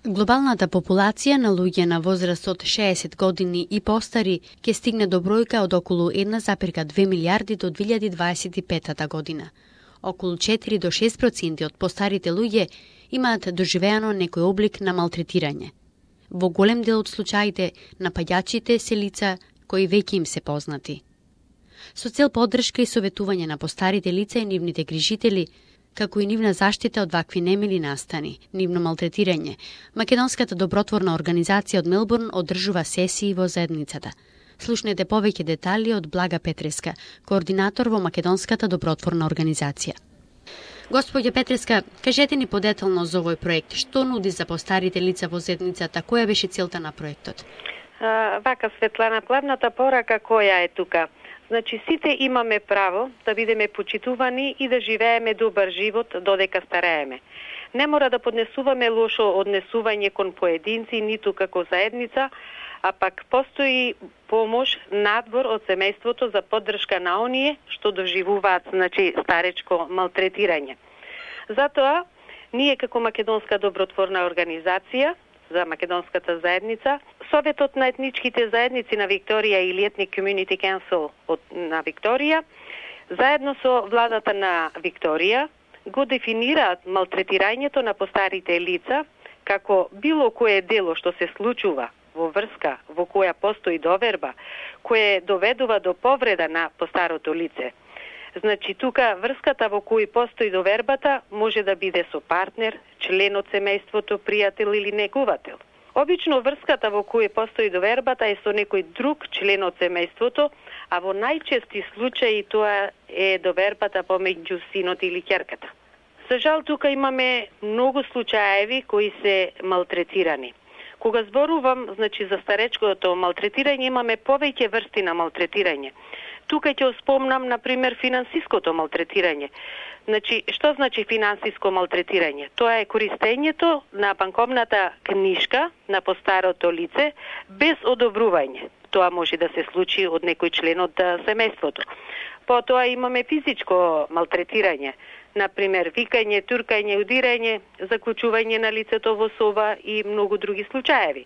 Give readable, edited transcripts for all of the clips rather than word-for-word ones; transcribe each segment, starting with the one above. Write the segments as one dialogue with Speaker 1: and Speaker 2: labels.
Speaker 1: Глобалната популација на луѓе на возраст од 60 години и постари ќе стигне до бројка од околу 1,2 милиарди до 2025 година. Околу 4 до 6% од постарите луѓе имаат доживеано некој облик на малтретирање. Во голем дел од случаите, напаѓачите се лица кои веќе им се познати. Со цел поддршка и советување на постарите лица и нивните грижители, како и нивна заштита од вакви немили настани, нивно малтретирање, Македонската добротворна организација од Мелбурн одржува сесии во заедницата. Слушнете повеќе детали од Блага Петреска, координатор во Македонската добротворна организација. Господја Петреска, кажете ни подетално за овој проект. Што нуди за постарите лица во заедницата? Која беше целта на проектот?
Speaker 2: Вака, Светлана, главната порака која е тука? Значи, сите имаме право да бидеме почитувани и да живееме добар живот додека старееме. Не мора да поднесуваме лошо однесување кон поединци, ниту како заедница, а пак постои помош надвор од семејството за поддршка на оние што доживуваат, значи, старечко малтретирање. Затоа, ние како Македонска добротворна организација за македонската заедница, Советот на етничките заедници на Викторија или Ethnic Community Council на Викторија, заедно со владата на Викторија, го дефинираат малтретирањето на постарите лица како било кое дело што се случува во врска во која постои доверба, кое доведува до повреда на постарото лице. Значи, тука врската во кој постои довербата може да биде со партнер, член од семејството, пријател или негувател. Обично врската во кој постои довербата е со некој друг член од семејството, а во најчести случаи тоа е довербата помеѓу синот или ќерката. За жал, тука имаме многу случаеви кои се малтретирани. Кога зборувам, значи, за старечкото малтретирање, имаме повеќе врсти на малтретирање. Тука ќе спомнам, например, финансиското малтретирање. Значи, што значи финансиско малтретирање? Тоа е користењето на банковната книшка на постарото лице без одобрување. Тоа може да се случи од некој член од семејството. Потоа имаме физичко малтретирање. Например, викање, туркање, удирање, заклучување на лицето во соба и многу други случаеви.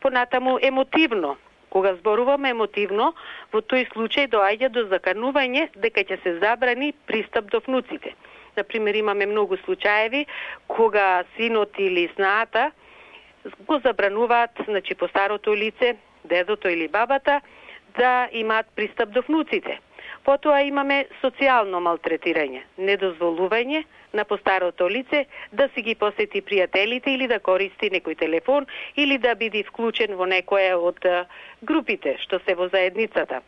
Speaker 2: Понатаму емотивно. Кога зборуваме емотивно, во тој случај доаѓа до заканување дека ќе се забрани пристап до внуците. Например, имаме многу случаеви кога синот или снаата го забрануваат, значи, постарото лице, дедото или бабата, да имаат пристап до внуците. Потоа имаме социјално малтретирање, недозволување на постарото лице да си ги посети пријателите или да користи некој телефон или да биде вклучен во некоја од групите што се во заедницата.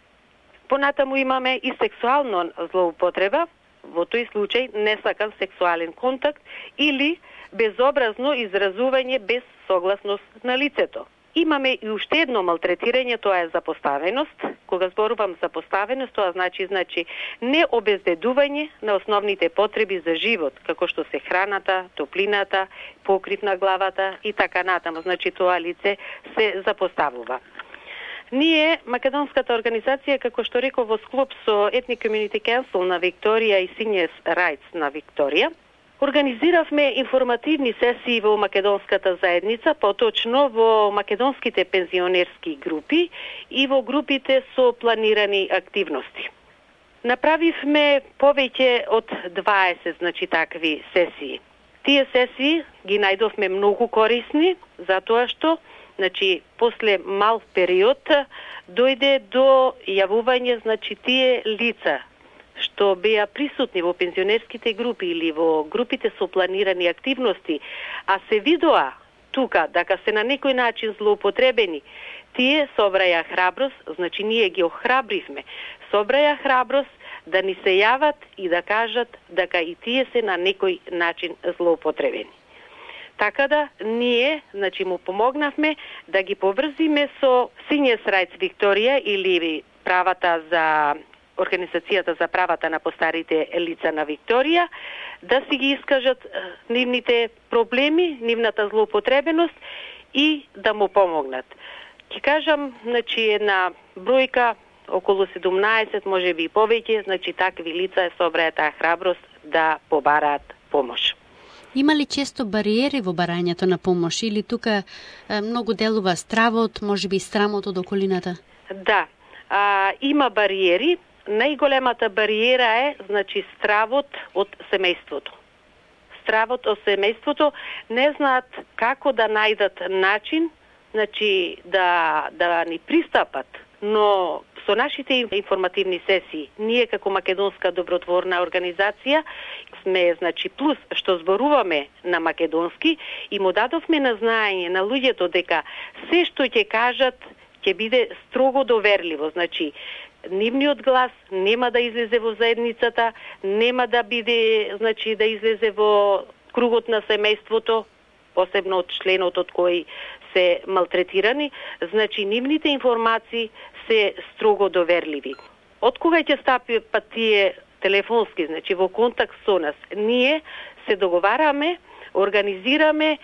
Speaker 2: Понатаму имаме и сексуално злоупотреба, во тој случај несакан сексуален контакт или безобразно изразување без согласност на лицето. Имаме и уште едно малтретирање, тоа е запоставеност. Кога зборувам запоставеност, тоа значи не обезбедување на основните потреби за живот, како што се храната, топлината, покрив на главата и така натаму. Значи, тоа лице се запоставува. Ние, Македонската организација, како што реков, во склоп со Ethnic Community Council на Викторија и Seniors Rights на Викторија, организиравме информативни сесии во македонската заедница, поточно во македонските пензионерски групи и во групите со планирани активности. Направивме повеќе од 20, значи, такви сесии. Тие сесии ги најдовме многу корисни, затоа што, значи, после мал период дојде до јавување, значи, тие лица што беа присутни во пензионерските групи или во групите со планирани активности, а се видоа тука дека се на некој начин злоупотребени, тие собраја храброст, значи ние ги охрабривме, собраја храброст да ни се јават и да кажат дека и тие се на некој начин злоупотребени. Така да, ние, значи, му помогнавме да ги поврзиме со Seniors Rights Викторија или правата за Организацијата за правата на постарите лица на Викторија, да си ги искажат нивните проблеми, нивната злоупотребеност и да му помогнат. Ќе кажам, значи, една бројка, околу 17, може би и повеќе, значи, такви лица собраја таа храброст да побараат помош.
Speaker 1: Има ли често бариери во барањето на помош или тука многу делува стравот, можеби страмот од околината?
Speaker 2: Да, има бариери. Најголемата бариера е, значи, стравот од семејството. Стравот од семејството не знаат како да најдат начин, значи, да ни пристапат, но со нашите информативни сесии, ние како македонска добротворна организација сме, значи, плюс што зборуваме на македонски и му дадовме на знаење на луѓето дека се што ќе кажат ќе биде строго доверливо, значи нивниот глас нема да излезе во заедницата, нема да биде, значи, да излезе во кругот на семејството, посебно од членот од кој се малтретирани, значи нивните информации се строго доверливи. Од кога ќе стапат тие телефонски, значи во контакт со нас, ние се договараме, организираме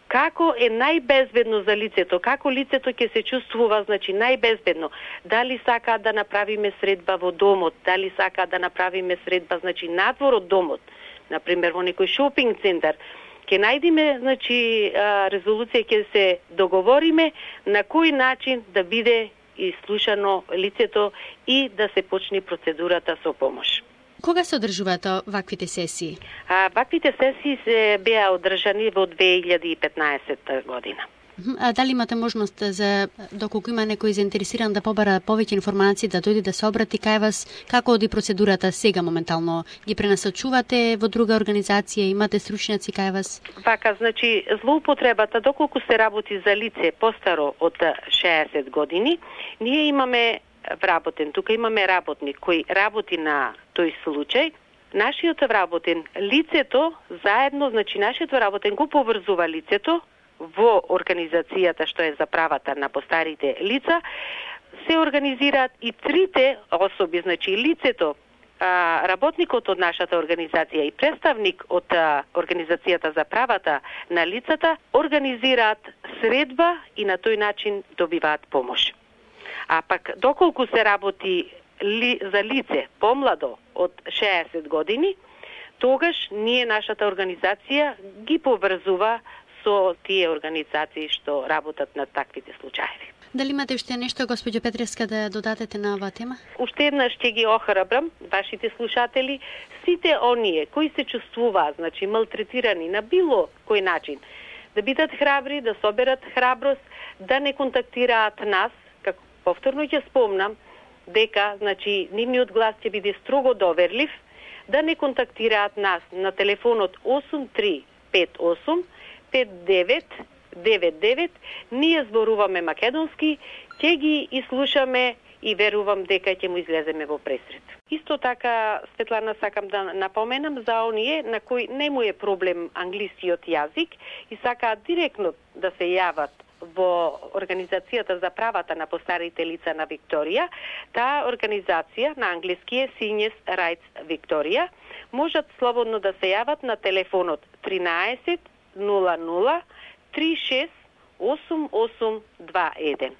Speaker 2: како е најбезбедно за лицето, како лицето ќе се чувствува, значи, најбезбедно. Дали сака да направиме средба во домот, дали сака да направиме средба, значи, надвор од домот, например во некој шопинг центар, ќе најдеме, значи, резолуција, ќе се договориме на кој начин да биде ислушано лицето и да се почне процедурата со помош.
Speaker 1: Кога се одржуваат ваквите сесии?
Speaker 2: Ваквите сесии се беа одржани во 2015 година.
Speaker 1: А дали имате можност за, доколку има некој заинтересиран да побара повеќе информации, да дојде да се обрати кај вас, како оди процедурата сега моментално? Ги пренасочувате во друга организација, имате стручњаци кај вас?
Speaker 2: Вака, значи, злоупотребата, доколку се работи за лице постаро од 60 години, ние имаме вработен, тука имаме работник кој работи на тој случај. Нашиот вработен, лицето заедно, значи нашиот вработен го поврзува лицето во организацијата што е за правата на постарите лица, се организираат и трите особи, значи лицето, работникот од нашата организација и представник од организацијата за правата на лицата организираат средба и на тој начин добиваат помош. А пак, доколку се работи за лице помладо од 60 години, тогаш ние, нашата организација, ги поврзува со тие организации што работат на таквите случаи.
Speaker 1: Дали имате уште нешто, госпоѓо Петревска, да додадете на оваа тема?
Speaker 2: Уште еднаш ќе ги охрабрам вашите слушатели, сите оние кои се чувствуваат, значи, малтретирани на било кој начин, да бидат храбри, да соберат храброст, да не контактираат нас, како повторно ќе спомнам, дека, значи, нивниот глас ќе биде строго доверлив, да не контактираат нас на телефонот 8358 5999, ние зборуваме македонски, ќе ги изслушаме и верувам дека ќе му излеземе во пресрет. Исто така, Светлана, сакам да напоменам за оние на кои не му е проблем англискиот јазик и сакаат директно да се јават во Организацијата за правата на постарите лица на Викторија. Таа организација на англиски е Seniors Rights Victoria. Можат слободно да се јават на телефонот 13 00 36 8821.